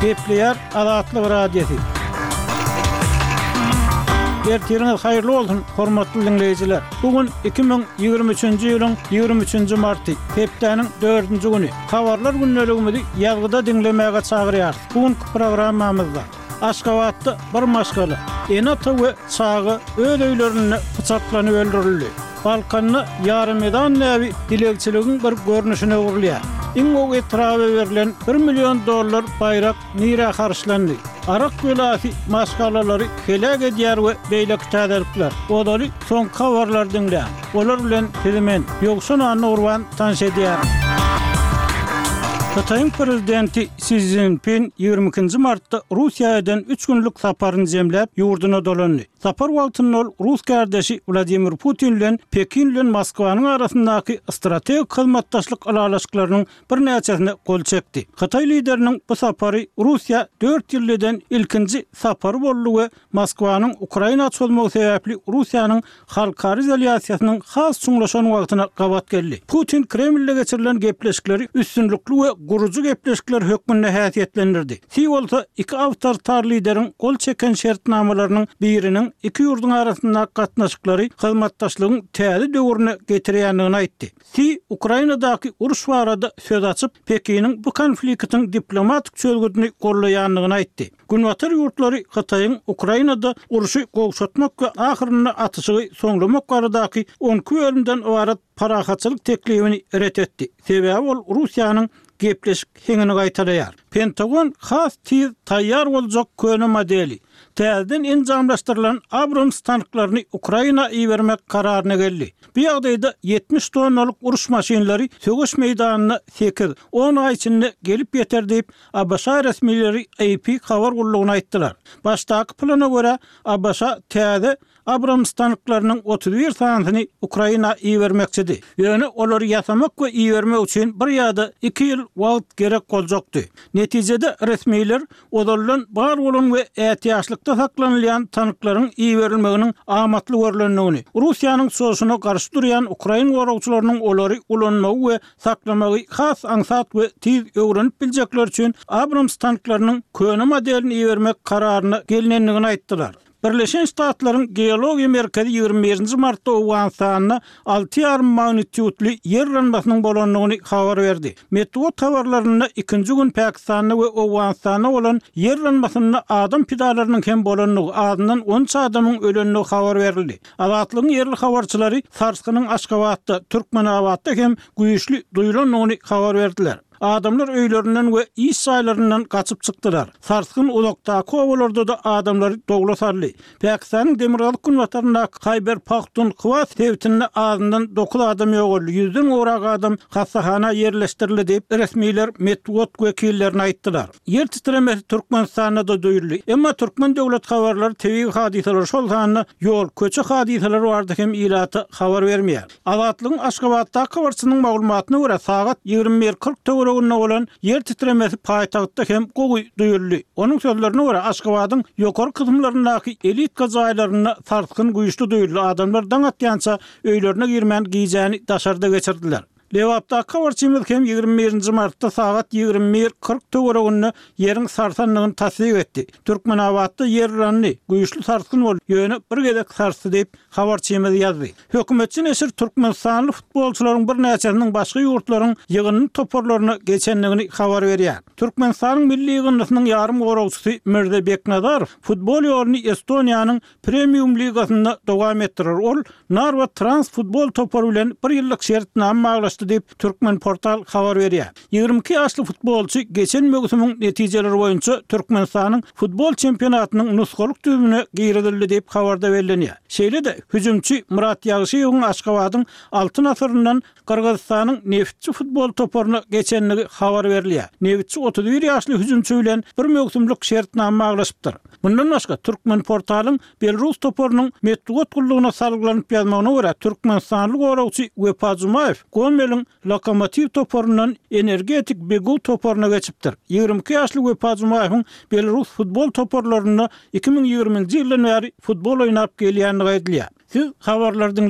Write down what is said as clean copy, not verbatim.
Gepleýär Azatlyk Radiosy. Ertiriňiz haýyrly bolsun, hormatly diňleýjiler! Bu gün 2023-nji ýylyň 23-nji marty, hepdäniň dördünji güni. Habarlar gündeligimizi ýazgyda diňlemäge çagyrýarys. Bu günki programmamyzda Aşgabatda bir maşgala, ene-ata we çaga öz öýlerinde pyçaklanyp öldürildi. Balkanda ýarymezan däbi dilegçiligiň bir görnüşine öwrülýär. Iň gowy etraba berlen bir million dollar baýrak nirä harçlandy? Arak belasy maşgalalary heläk edýär we beýleki täzelikler. Ozaly soňky habarlary diňläň. Olar bilen sizi men, Ýowşan Annagurban tanyş edýärin. Hytaýyň prezidenti Si Szinpin 22-nji martda Russiýa eden üç günlük saparyny jemläp, ýurduna dolandy. Sapar wagtynda ol rus kärdeşi Wladimir Putin bilen Pekin bilen Moskwanyň arasyndaky strategik hyzmatdaşlyk ylalaşyklarynyň birnäçesine gol çekdi. Hytaý lideriniň bu sapary Russiýa dört ýylda eden ilkinji sapary boldy we Moskwanyň Ukraina çozmagy sebäpli Russiýanyň halkara izolýasiýasynyň has çuňlaşan wagtyna gabat geldi. Putin Kremlde geçirilen gepleşikleri üstünlikli we gurujy gepleşikler hökmünde häsiýetlendirdi. Si bolsa iki awtoritar lideriň gol çeken şertnamalarynyň biriniň iki ýurduň arasyndaky gatnaşyklary hyzmatdaşlygyň täze döwrüne getirýändigini aýtdy. Si Ukrainadaky uruş barada söz açyp, Pekiniň bu konfliktiň diplomatik çözgüdini goldaýandygyny aýtdy. Günbatar ýurtlary Hytaýyň Ukrainada urşy gowşatmak we ahyrynda atyşygy soňlamak baradaky 12 bölümden ybarat parahatçylyk teklibini ret etdi, sebäbi ol Russiýanyň gepleşik heňini gaýtalaýar. Pentagon has tiz taýýar boljak köne modeli, täzeden enjamlaşdyrylan Abrams tanklaryny Ukraina ibermek kararyna geldi. Bu ýagdaýda 70 tonnalyk uruş maşynlary söweş meýdanyna sekiz, on aý içinde gelip ýeter diýip, ABŞ resmileri AP habar gullugyna aýtdylar. Başdaky plana görä, ABŞ täze Abrams tanklarynyň 31 sanysyny Ukraina ibermekçidi. Ýöne olary ýasamak we ibermek üçin bir ýa-da iki ýyl wagt gerek boljakdy. Netijede resmiler ozaldan bar bolan we ätiýaçlykda saklanylýan tanklaryň iberilmeginiň amatly görlendigini, Russiýanyň çozuşyna garşy durýan ukrain goragçylarynyň olary ulanmagy we saklamagy has aňsat we tiz öwrenip biljekleri üçin Abrams tanklarynyň köne modelini ibermek kararyna gelnendigini aýtdylar. Birleşen Ştatlaryň Geologiýa merkezi 21-nji martda Owganystanda alty ýarym magnitýudly ýer yranmasynyň bolandygyny habar berdi. Metbugat habarlarynda ikinji gün Pakistanda we Owganystanda bolan ýer yranmasynda adam pidalarynyň hem bolandygy, azyndan 13 adamyň ölendigi habar berildi. Azatlygyň ýerli habarçylary sarsgynyň Aşgabatda, Türkmenabatda hem güýçli duýlandygyny habar berdiler. Adamlar öýlerinden we iş jaýlaryndan gaçyp çykdylar. Sarsgyn uzakdaky obalarda-da adamlary dowla saldy. Pakistanyň demirgazyk-günbataryndaky Haýber-Pahtunhwa sebitinde azyndan dokuz adam ýogaldy, ýüzden gowrak adam hassahana ýerleşdirildi diýip, resmiler metbugat wekillerine aýtdylar. Ýer titremesi Türkmenistanda-da duýuldy. Emma türkmen döwlet habarlary tebigy hadysalar, şol sanda ýol, köçe hadysalary barada hem ilata habar bermeýär. Azatlygyň Aşgabatdaky habarçysynyň maglumatyna görä, sagat 21.40 töwereginde bolan ýer titremesi paýtagtda hem gowy duýuldy. Onuň sözlerine görä, Aşgabadyň ýokary kysymlaryndaky elitka jaýlarynda sarsgyn güýçli duýuldy, adamlar daň atýança öýlerine girmän gijäni daşarda geçirdiler. Lebapdaky habarçymyz hem 21 nji martda sagat 21.40 töwereginde ýeriň sarsandygyny tassyk etdi. Türkmenabatda ýer yrandy, güýçli sarsgyn boldy, ýöne bir gezek sarsdy diýip, habarçymyz ýazdy. Hökümetçi neşir türkmenistanly futbolçylaryň birnäçesiniň başga ýurtlaryň ýygyndy toparlaryna geçendigini habar berýär. Türkmenistanyň milli ýygyndysynyň ýarymgoragçysy Mirza Beknazarow futbol ýoluny Estoniýanyň Premium ligasynda dowam etdirer. Ol Narwa Trans futbol topary bilen bir ýyllyk şertnama baglaşdy diýip, Turkmenportal habar berýär. 22 ýaşly futbolçy geçen möwsümiň netijeleri boýunça Türkmenistanyň futbol çempionatynyň nusgalyk düzümine girizildi diýip, habarda bellenýär. Şeýle-de, hüjümçi Myrat Ýagşyýewiň Aşgabadyň Altyn asyryndan Gyrgyzystanyň Neftçi futbol toparyna geçendigi habar berilýär. Neftçi 31 ýaşly hüjümçi bilen bir möwsümlik şertnama baglaşypdyr. Mundan başga, Türkmenportalyň Belarus toparynyň metbugat gullugyna salgylanyp ýazmagyna görä, türkmenistanly goragçy Wepa Jumaýew Gomeliň Lokomotiw toparyndan Energetik BGU toparyna geçipdir. 22 ýaşly Wepa Jumaýewiň belarus futbol toparlarynda 2020-nji ýyldan bäri futbol oýnap gelýändigi aýdylýar. Siz habarlary diňlediňiz.